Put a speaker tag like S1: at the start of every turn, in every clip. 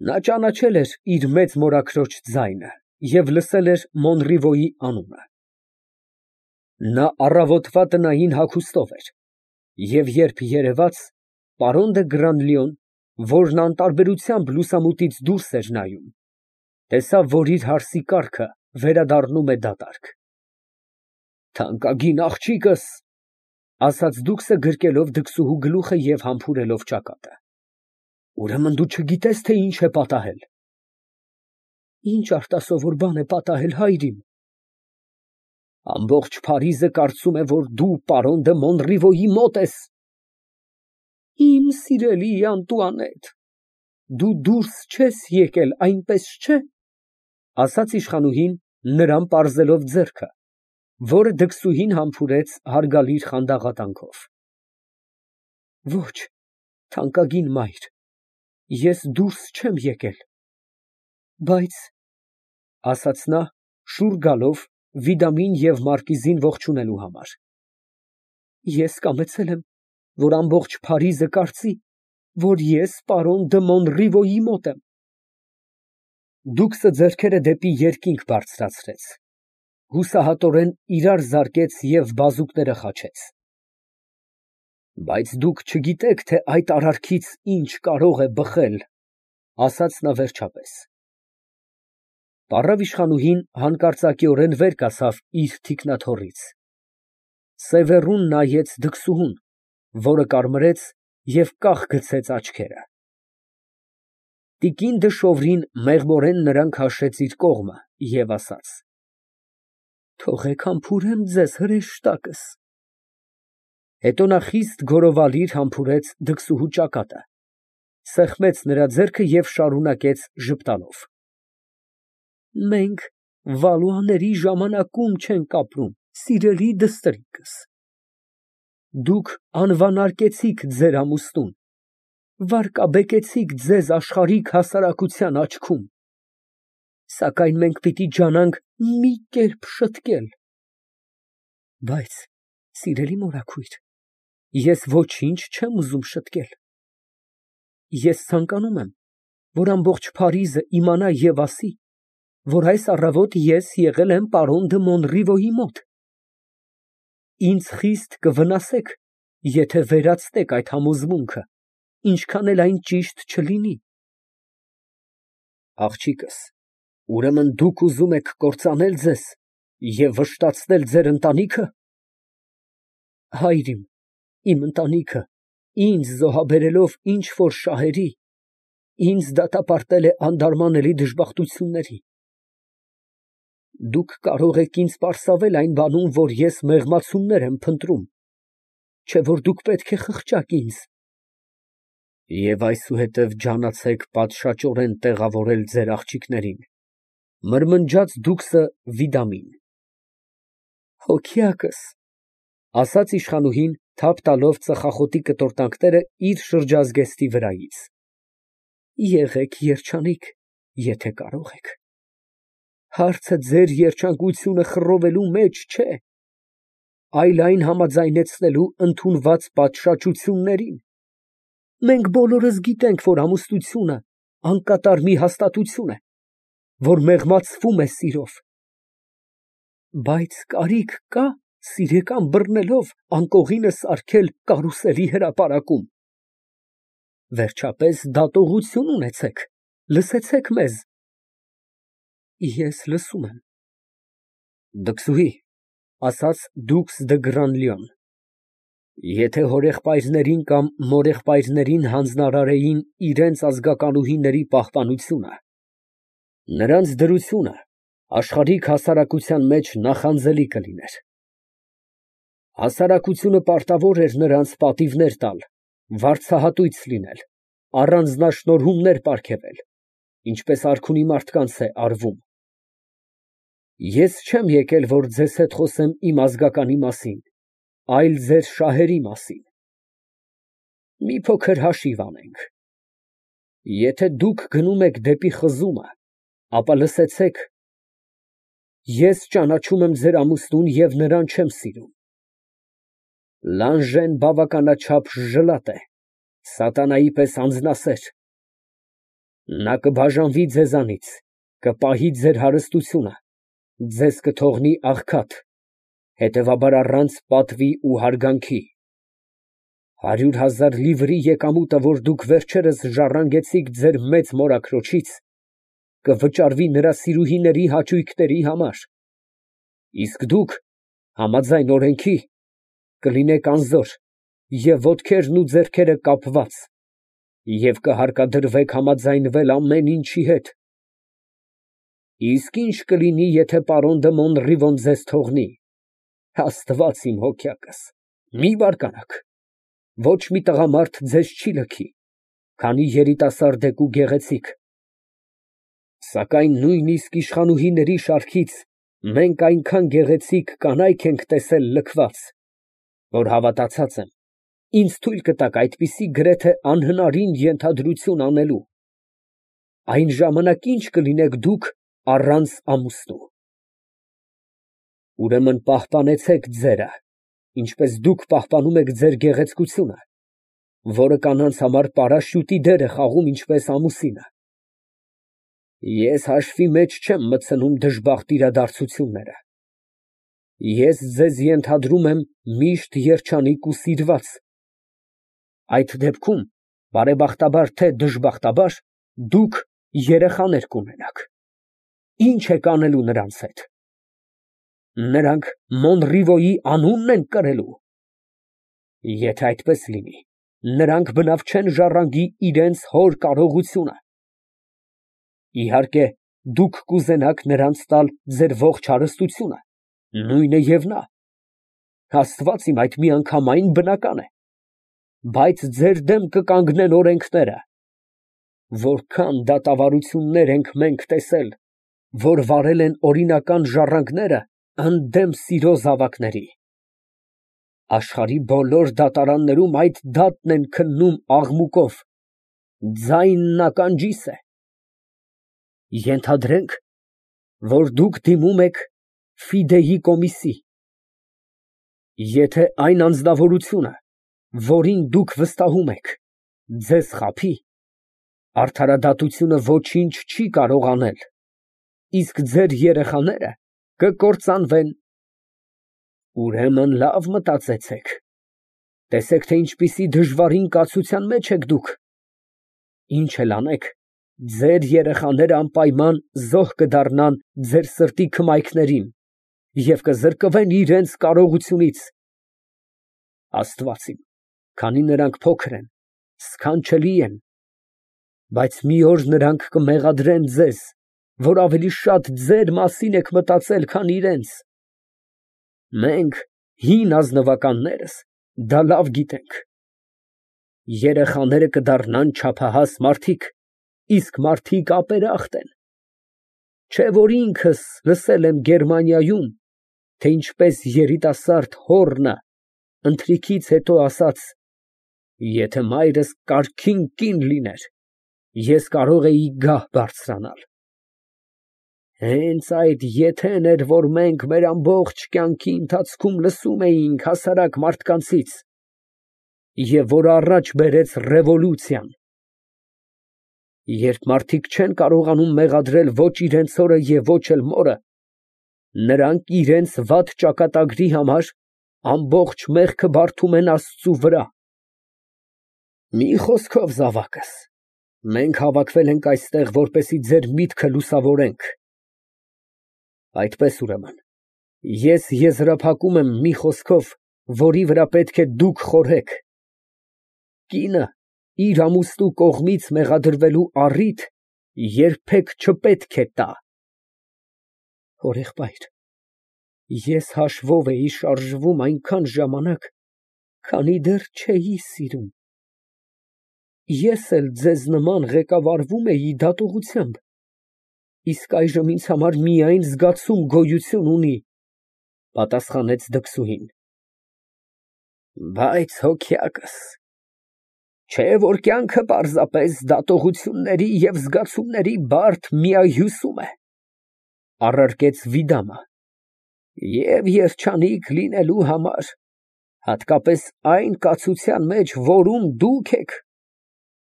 S1: Նա ճանաչել էր իր մեծ մորաքրոջ ձայնը և լսել էր Մոնրիվոյի անունը։ Նա առավոտվա տնային հագուստով էր և երբ երևաց, պարոն դը Գրանլիոն, որն անտարբերությամբ լուսամուտից դուրս էր նայում, տեսավ, որ իր հարսի կառքը վերադառնում է դատարկ։ «Թանկագին աղջիկս», ֊ ասաց դուքսը գրկելով դքսուհու գլուխը և համբուրելով ճակատը, ֊ ուրեմն դու չգիտես, թե ինչ է պատահել։ «Ինչ արտասովոր բան է պատահել, հայրիկ»։ «Ամբողջ Փարիզը կարծում է, որ դու պարոն դը Մոնրիվոյի մոտ ես»։ «Իմ սիրելի Անտուանետ, դու դուրս չես եկել, այնպես չէ՞, ֊ ասաց իշխանուհին, նրան պարզելով ձեռքը, որը դքսուհին համբուրեց հարգալից խանդաղատնքով։ «Ոչ, թանկագին մայր, ես դուրս չեմ եկել, բայց, ֊ ասաց նա, շուռ գալով Վիդամին և մարկիզին ողջունելու համար, ֊ ես կամեցել եմ, որ ամբողջ Փարիզը կարծի, որ ես պարոն դը Մոնրիվոյի մոտ եմ»։ Դուքսը ձեռքերը դեպի երկինք բարձրացրեց, հուսահատորեն իրար զարկեց և բազուկները խաչեց։ «Բայց դուք չգիտեք, թե այդ արարքից ինչ կարող է բխել», ֊ ասաց նա վերջապես։ Պառավ իշխանուհին հանկարծակիորեն վեր կացավ իր թիկնաթոռից, սևեռուն նայեց դքսուհուն, որը կարմրեց և կախ գցեց աչքերը։ Տիկին դը Շովրին մեղմորեն նրան քաշեց իր կողմը և ասաց. «Թողեք համբուրեմ ձեզ հրեշտակս»։ Հետո նա խիստ գորովալիր համբուրեց դքսուհու ճակատը, սեղմեց նրա ձեռքը և շարունակեց ժպտալով. «Մենք Վալուաների ժամանակում չենք ապրում, սիրելի դստրիկս։ Դուք անվանարկեցիք ձեր ամուսնուն, վարկաբեկեցիք ձեզ աշխարհիկ հասարակության աչքում, սակայն մենք պիտի ջանանք մի կերպ շտկել։ Բայց, սիրելի մորաքույր, ես ոչինչ չեմ ուզում շտկել։ Ես ցանկանում եմ, որ ամբողջ Փարիզը իմանա և ասի, որ այս առավոտ ես եղել եմ պարոն դը Մոնրիվոյի մոտ։ Ինձ խիստ կվնասեք, եթե վերացնեք այդ համոզմունքը, ինչքան էլ այն ճիշտ չլինի»։ Աղջիկս, ուրեմն դուք ուզում եք կործանել ձեզ և վշտացնել ձեր ընտանիքը։ Հայր իմ, իմ ընտանիքը, ինձ զոհաբերելով ինչ֊որ շահերի, ինձ դատապարտել է անդարմանելի դժբախտությունների։ Դուք կարող եք ինձ պարսավել այն բանում, որ ես մեղմացումներ եմ փնտրում, չէ՞ որ դուք պետք է խղճաք ինձ։ Եվ այսուհետև ջանացեք պատշաճորեն տեղավորել ձեր աղջիկներին, ֊ մրմնջաց դուքսը Վիդամին։ Հոգյակս, ֊ ասաց իշխանուհին, թափ տալով ծխախոտի կտորտանքները իր շրջազգեստի վրայից, ֊ եղեք երջանիկ, եթե կարող եք։ Հարցը ձեր երջանկությունը խռովելու մեջ չէ, այլ այն համաձայնեցնելու ընդունված պատշաճություններին։ Մենք բոլորս գիտենք, որ ամուսնությունը անկատար մի հաստատություն է, որ մեղմացվում է սիրով։ Բայց կարիք կա սիրեկան բռնելով անկողինը սարքել կարուսելի հրապարակում։ Վերջապես դատողություն ունեցեք, լսեցեք մեզ։ Ես լսում եմ։ Դքսուհի, ֊ ասաց դուքս դը Գրանլիոն, ֊ եթե հորեղբայրներին կամ մորեղբայրներին հանձնարարեին իրենց ազգականուհիների պահպանությունը, նրանց դրությունը աշխարհիկ հասարակության մեջ նախանձելի կլիներ։ Հասարակությունը պարտավոր էր նրանց պատիվներ տալ, վարձահատույց լինել, առանձնաշնորհումներ պարգևել, ինչպես արքունի մարդկանց է արվում։ Ես չեմ եկել, որ ձեզ հետ խոսեմ իմ ազգականի մասին, այլ ձեր շահերի մասին։ Մի փոքր հաշիվ անենք։ Եթե դուք գնում եք դեպի խզումը, ապա լսեցեք, ես ճանաչում եմ ձեր ամուսնուն և նրան չեմ սիրում։ Լանժեն բավականաչափ ժլատ է, սատանայի պես անձնասեր։ Նա կբաժանվի ձեզանից, կպահի ձեր հարստությունը, ձեզ կթողնի աղքատ, հետևաբար առանց պատվի ու հարգանքի։ 100,000 լիվրի եկամուտը, որ դուք վերջերս ժառանգեցիք ձեր մեծ մորաքրոջից, կվճարվի նրա սիրուհիների հաճույքների համար, իսկ դուք, համաձայն օրենքի, կլինեք անզոր և ոտքերն ու ձեռքերը կապված և կհարկադրվեք համաձայնվել ամեն ինչի հետ։ Իսկ ի՞նչ կլինի, եթե պարոն դը Մոնռիվոն ձեզ թողնի։ Աստված իմ հոգյակս, մի բարկանաք, ոչ մի տղամարդ ձեզ չի լքի, քանի երիտասարդ եք ու գեղեցիկ, սակայն նույնիսկ իշխանուհիների շարքից մենք այնքան գեղեցիկ կանայք ենք տեսել լքված, որ հավատացած եմ, ինձ թույլ կտաք այդպիսի գրեթե անհնարին ենթադրություն անելու, այն ժամանակ ի՞նչ կլինեք դուք առանց ամուսնու։ Ուրեմն պահպանեցեք ձերը, ինչպես դուք պահպանում եք ձեր գեղեցկությունը, որը կանանց համար պարաշյուտի դեր է խաղում ինչպես ամուսինը։ Ես հաշվի մեջ չեմ մտցնում դժբախտ իրադարձությունները։ Ես ձեզ ենթադրում եմ միշտ երջանիկ ու սիրված։ Այդ դեպքում, բարեբախտաբար թե դժբախտաբար, դուք երեխաներ կունենաք։ Ի՞նչ եք անելու նրանց հետ։ Նրանք Մոնռիվոյի անունն են կրելու։ Եթե այդպես լինի, նրանք բնավ չեն ժառանգի իրենց հոր կարողությունը։ Իհարկե, դուք կուզենաք նրանց տալ ձեր ողջ հարստությունը, նույնը և նա։ Աստված իմ, այդ միանգամայն բնական է, բայց ձեր դեմ կկանգնեն օրենքները։ Որքան դատավարություններ ենք մենք տեսել, որ վարել են օրինական ժառանգները ընդդեմ սիրո զավակների։ Աշխարհի բոլոր դատարաններում այդ դատն են քննում աղմուկով, ձայնն ականջիս է։ Ենթադրենք, որ դուք դիմում եք Ֆիդեյի կոմիսի։ Եթե այն անձնավորությունը, որին դուք վստահում եք, ձեզ խաբի, արդարադատությունը ոչինչ չի կարող անել, իսկ ձեր երեխաները կկործանվեն։ Ուրեմն լավ մտածեցեք, տեսեք, թե ինչպիսի դժվարին կացության մեջ եք դուք։ Ինչ էլ անեք, ձեր երեխաները անպայման զոհ կդառնան ձեր սրտի քմայքներին և կզրկվեն իրենց կարողությունից։ Աստված իմ, քանի նրանք փոքր են, սքանչելի են, բայց մի օր նրանք կմեղադրեն ձեզ, որ ավելի շատ ձեր մասին եք մտածել, քան իրենց։ Մենք, հին ազնվականներս, դա լավ գիտենք։ Երեխաները կդառնան չափահաս մարդիկ, իսկ մարդիկ ապերախտ են։ Չէ՞ որ ինքս լսել եմ Գերմանիայում, թե ինչպես երիտասարդ հոռնը ընթրիքից հետո ասաց. «Եթե մայրս կարգին կին լիներ, ես կարող էի գահ բարձրանալ»։ Հենց այդ եթեն էր, որ մենք մեր ամբողջ կյանքի ընթացքում լսում էինք հասարակ մարդկանցից, և որ առաջ բերեց ռևոլյուցիան։ Երբ մարդիկ չեն կարողանում մեղադրել ոչ իրենց հորը և ոչ էլ մորը, նրանք իրենց վատ ճակատագրի համար ամբողջ մեղքը բարդում են Աստծու վրա։ Մի խոսքով, զավակս, մենք հավաքվել ենք այստեղ, որպեսզի ձեր միտքը լուսավորենք։ Այդպես ուրեմն, ես եզրափակում եմ մի խոսքով, որի վրա պետք է դուք խորհեք. կինը իր ամուսնու կողմից մեղադրվելու առիթ երբեք չպետք է տա։ Հորեղբայր, ես հաշվով էի շարժվում այնքան ժամանակ, քանի դեռ չէի սիրում։ Ես էլ ձեզ նման ղեկավարվում էի դատողությամբ, իսկ այժմ ինձ համար միայն զգացում գոյություն ունի, պատասխանեց դքսուհին։ Բայց հոգյակս, չէ՞ որ կյանքը պարզապես դատողությունների և զգացումների բարդ միահյուսում է, առարկեց Վիդամը, և երջանիկ լինելու համար, հատկապես այն կացության մեջ, որում դուք եք,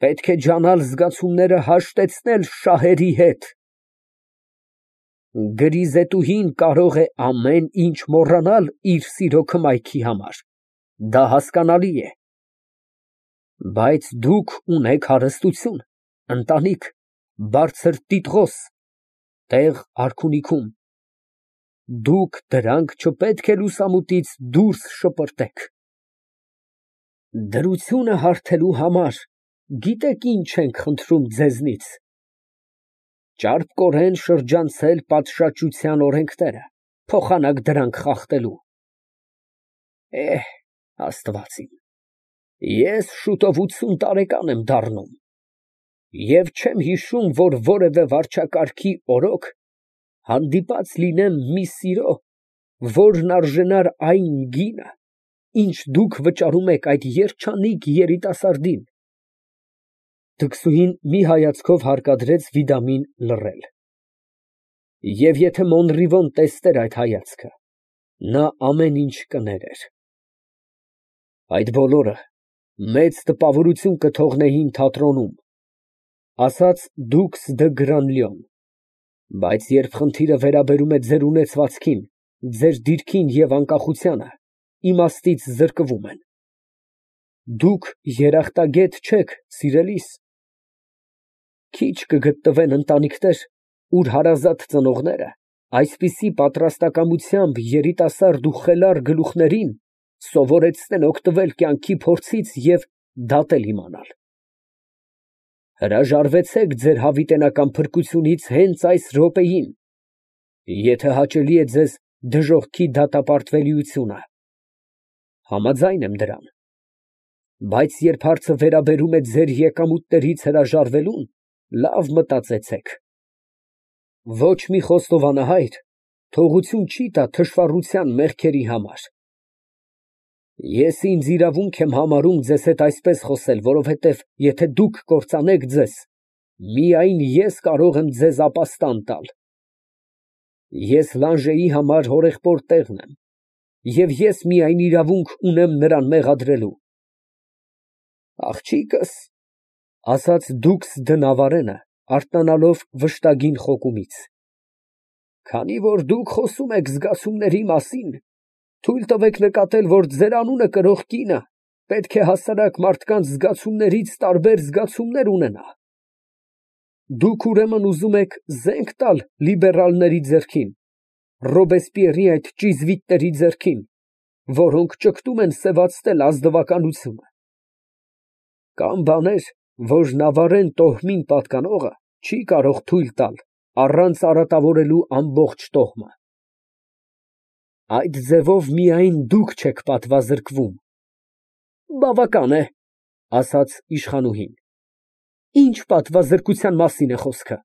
S1: Պետք է ջանալ զգացումները հաշտեցնել շահերի հետ։ Գրիզետուհին կարող է ամեն ինչ մոռանալ իր սիրո քմայքի համար, դա հասկանալի է։ Բայց դուք ունեք հարստություն, ընտանիք, բարձր տիտղոս, տեղ արքունիքում, դուք դրանք չպետք է լուսամուտից դուրս շպրտեք։ Դրությունը հարթելու համար գիտեք ինչ ենք խնդրում ձեզնից. ճարպկորեն շրջանցել պատշաճության օրենքները, փոխանակ դրանք խախտելու։ Աստված իմ, ես շուտով 80 տարեկան եմ դառնում և չեմ հիշում, որ որևէ վարչակարգի օրոք հանդիպած լինեմ մի սիրո, որն արժանար այն գինը, ինչ դուք վճարում եք այդ երջանիկ երիտասարդին։ Թկսուհին մի հայացքով հարկադրեց Վիդամին լռել։ Եվ եթե Մոնրիվոն տեսներ այդ հայացքը, նա ամեն ինչ կներեր։ Այդ բոլորը մեծ տպավորություն կթողնեին թատրոնում, ասաց դուքս դը Գրանլյոն, բայց երբ խնդիրը վերաբերում է ձեր ունեցվածքին, ձեր դիրքին և անկախությանը, իմաստից զրկվում են։ Դուք երախտագետ չեք, սիրելիս։ Քիչ կգտնվեն ընտանիքներ, ուր հարազատ ծնողները այսպիսի պատրաստակամությամբ երիտասարդ ու խելառ գլուխներին սովորեցնեն օգտվել կյանքի փորձից և դատել իմանալ։ Հրաժարվեցեք ձեր հավիտենական փրկությունից հենց այս րոպեին, եթե հաճելի է ձեզ դժոխքի դատապարտվելիությունը։ Համաձայն եմ դրան։ Բայց երբ հարցը վերաբերում է ձեր եկամուտներից հրաժարվելուն, լավ մտածեցեք։ Ոչ մի խոստովանահայր թողություն չի տա թշվառության մեղքերի համար։ Ես ինձ իրավունք եմ համարում ձեզ հետ այսպես խոսել, որովհետև եթե դուք կործանեք ձեզ, միայն ես կարող եմ ձեզ ապաստան տալ։ Ես Լանժեի համար հորեղբոր տեղն եմ, և ես միայն իրավունք ունեմ նրան մեղադրելու։ Աղջիկս, ասաց դուքս դը Նավարենը, արթնանալով վշտագին խոկումից, քանի որ դուք խոսում եք զգացումների մասին, թույլ տվեք նկատել, որ ձեր անունը կրող կինը պետք է հասարակ մարդկանց զգացումներից տարբեր զգացումներ ունենա։ Դուք ուրեմն ուզում եք զենք տալ լիբերալների ձեռքին, Ռոբեսպիերի այդ ճիզվիտների ձեռքին, որոնք ճգտում են սևացնել ազնվականությունը։ Կան բաներ, որ Նավարեն տոհմին պատկանողը չի կարող թույլ տալ, առանց արատավորելու ամբողջ տոհմը։ Այդ ձևով միայն դուք չեք պատվազրկվում։ Բավական է, ասաց իշխանուհին։ Ինչ պատվազրկության մասին է խոսքը։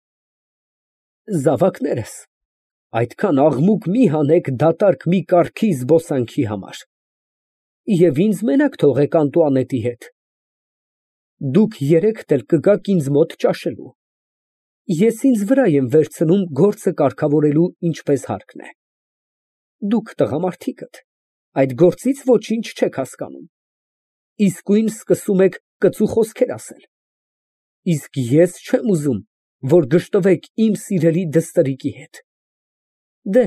S1: Զավակներս, այդքան աղմուկ մի հանեք դատարկ մի կառքի զբոսանքի համար, և ինձ մենակ թողեք Անտուանետի հետ։ Դուք երեքդ էլ կգաք ինձ մոտ ճաշելու։ Ես ինձ վրա եմ վերցնում գործը կարգավորելու ինչպես հարկն է։ Դուք տղամարդիկդ այդ գործից ոչինչ չեք հասկանում, իսկույն սկսում եք կծու խոսքեր ասել, իսկ ես չեմ ուզում, որ գժտվեք իմ սիրելի դստրիկի հետ։ Դե,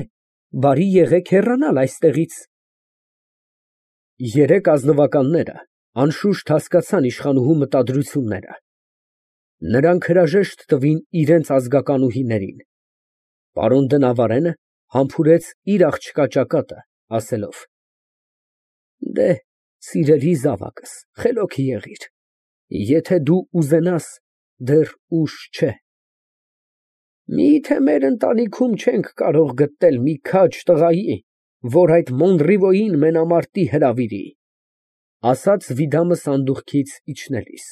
S1: բարի եղեք հեռանալ այստեղից։ Երեք ազնվականները անշուշտ հասկացան իշխանուհու մտադրությունները։ Նրանք հրաժեշտ տվին իրենց ազգականուհիներին։ Պարոն դը Նավարենը համբուրեց իր աղջկա ճակատը, ասելով. Դե, սիրելի զավակս, խելոք եղիր, եթե դու ուզենաս, դեռ ուշ չէ։ Մի՞թե մեր ընտանիքում չենք կարող գտնել մի քաջ տղայի, որ այդ Մոնրիվոյին մենամարտի հրավիրի, ասաց Վիդամը սանդուղքից իջնելիս։